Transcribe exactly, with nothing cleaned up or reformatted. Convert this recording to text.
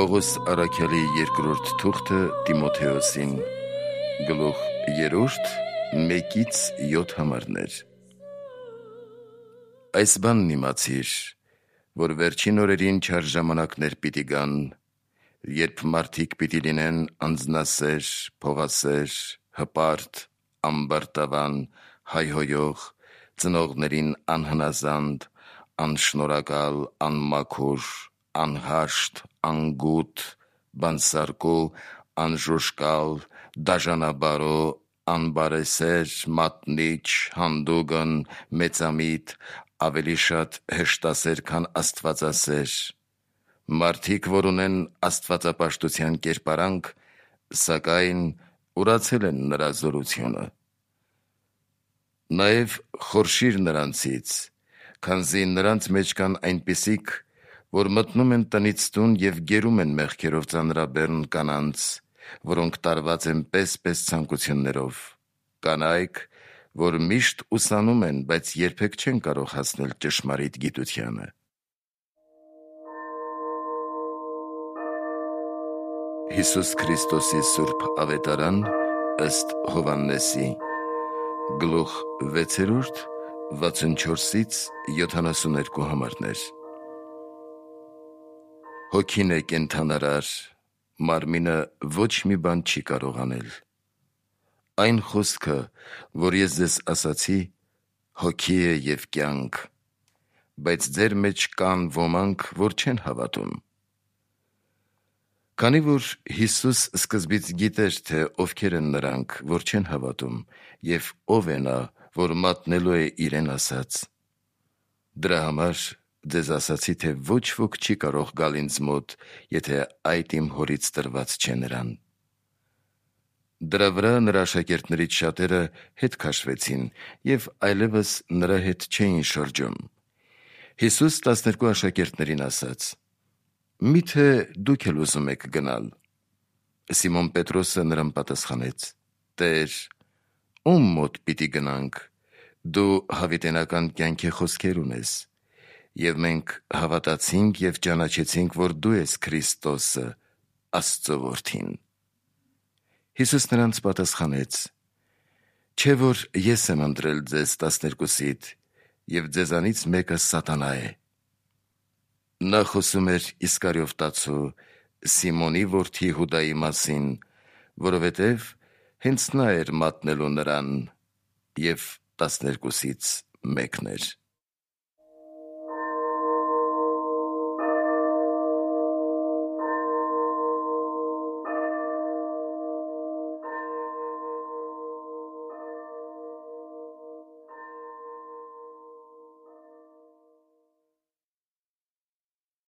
Պողոս առաքյալի երկրորդ թուղթը Տիմոթեոսին, գլուխ երրորդ, մեկից յոթ համարներ։ Այս բանն իմացիր, որ վերջին օրերին չար ժամանակներ պիտի գան, երբ մարդիկ պիտի լինեն անձնասեր, փողասեր, հպարտ, ամբարտավան, հայհոյող, ծնողներին անհնազանդ, անշնորհակալ, անմաքուր, անհաշտ, անգութ, բանսարկու, անժուժկալ, դաժանաբարո, անբարեսեր, մատնիչ, հանդուգն, մեծամիտ, ավելի շատ հեշտասեր, քան աստվածասեր, մարդիկ, որ ունեն աստվածապաշտության կերպարանք, սակայն ուրացել են նրա զորությունը։ Նաև խորշիր նրանցից, քանզի նրանց մեջ կան այնպիսիք, որ մտնում են տնից տուն և գերում են մեղքերով ծանրաբեռն կանանց, որոնք տարված են պես-պես ցանկություններով, կանայք, որ միշտ ուսանում են, բայց երբեք չեն կարող հասնել ճշմարիտ գիտությանը։ Հիսուս Քրիստոսի սուրբ ավետարան ըստ Հովհաննեսի, գլուխ վեցերորդ, վաթսունչորսից յոթանասուներկու համարներ։ Հոգին է կենդանարար, մարմինը ոչ մի բան չի կարող անել։ Այն խոսքը, որ ես ձեզ ասացի, հոգի է և կյանք, բայց ձեր մեջ կան ոմանք, որ չեն հավատում։ Քանի որ Հիսուս սկզբից գիտեր, թե ովքեր են նրանք, որ չեն հավատում, և ով է նա, որ մատնելու է իրեն ասած, դրա համար ձեզ ասացի, թե ոչ ոք չի կարող գալ ինձ մոտ, եթե այդ իմ Հորից տրված չէ նրան։ Դրա վրա նրա աշակերտներից շատերը հետ քաշվեցին և այլևս նրա հետ չէին շրջում։ Հիսուս տասներկու աշակերտներին ասաց. «Միթե դուք էլ ուզում եք գնալ»։ Սիմոն Պետրոսը նրան պատասխանեց. «Տեր, ո՞ւմ մոտ պիտի գնանք, դու հավիտենական կյանքի խոսքեր ունես, և մենք հավատացինք և ճանաչեցինք, որ դու ես Քրիստոսը, Աստծո Որդին»։ Հիսուս նրանց պատասխանեց. «Չէ՞ որ ես եմ ընտրել ձեզ տասներկուսիդ, և ձեզանից մեկը սատանա է»։ Նա խոսում էր Իսկարիովտացու, Սիմոնի որդի Հուդայի մասին, որովհետև հենց նա էր մատնելու նրան և տասներկուսից մեկն էր։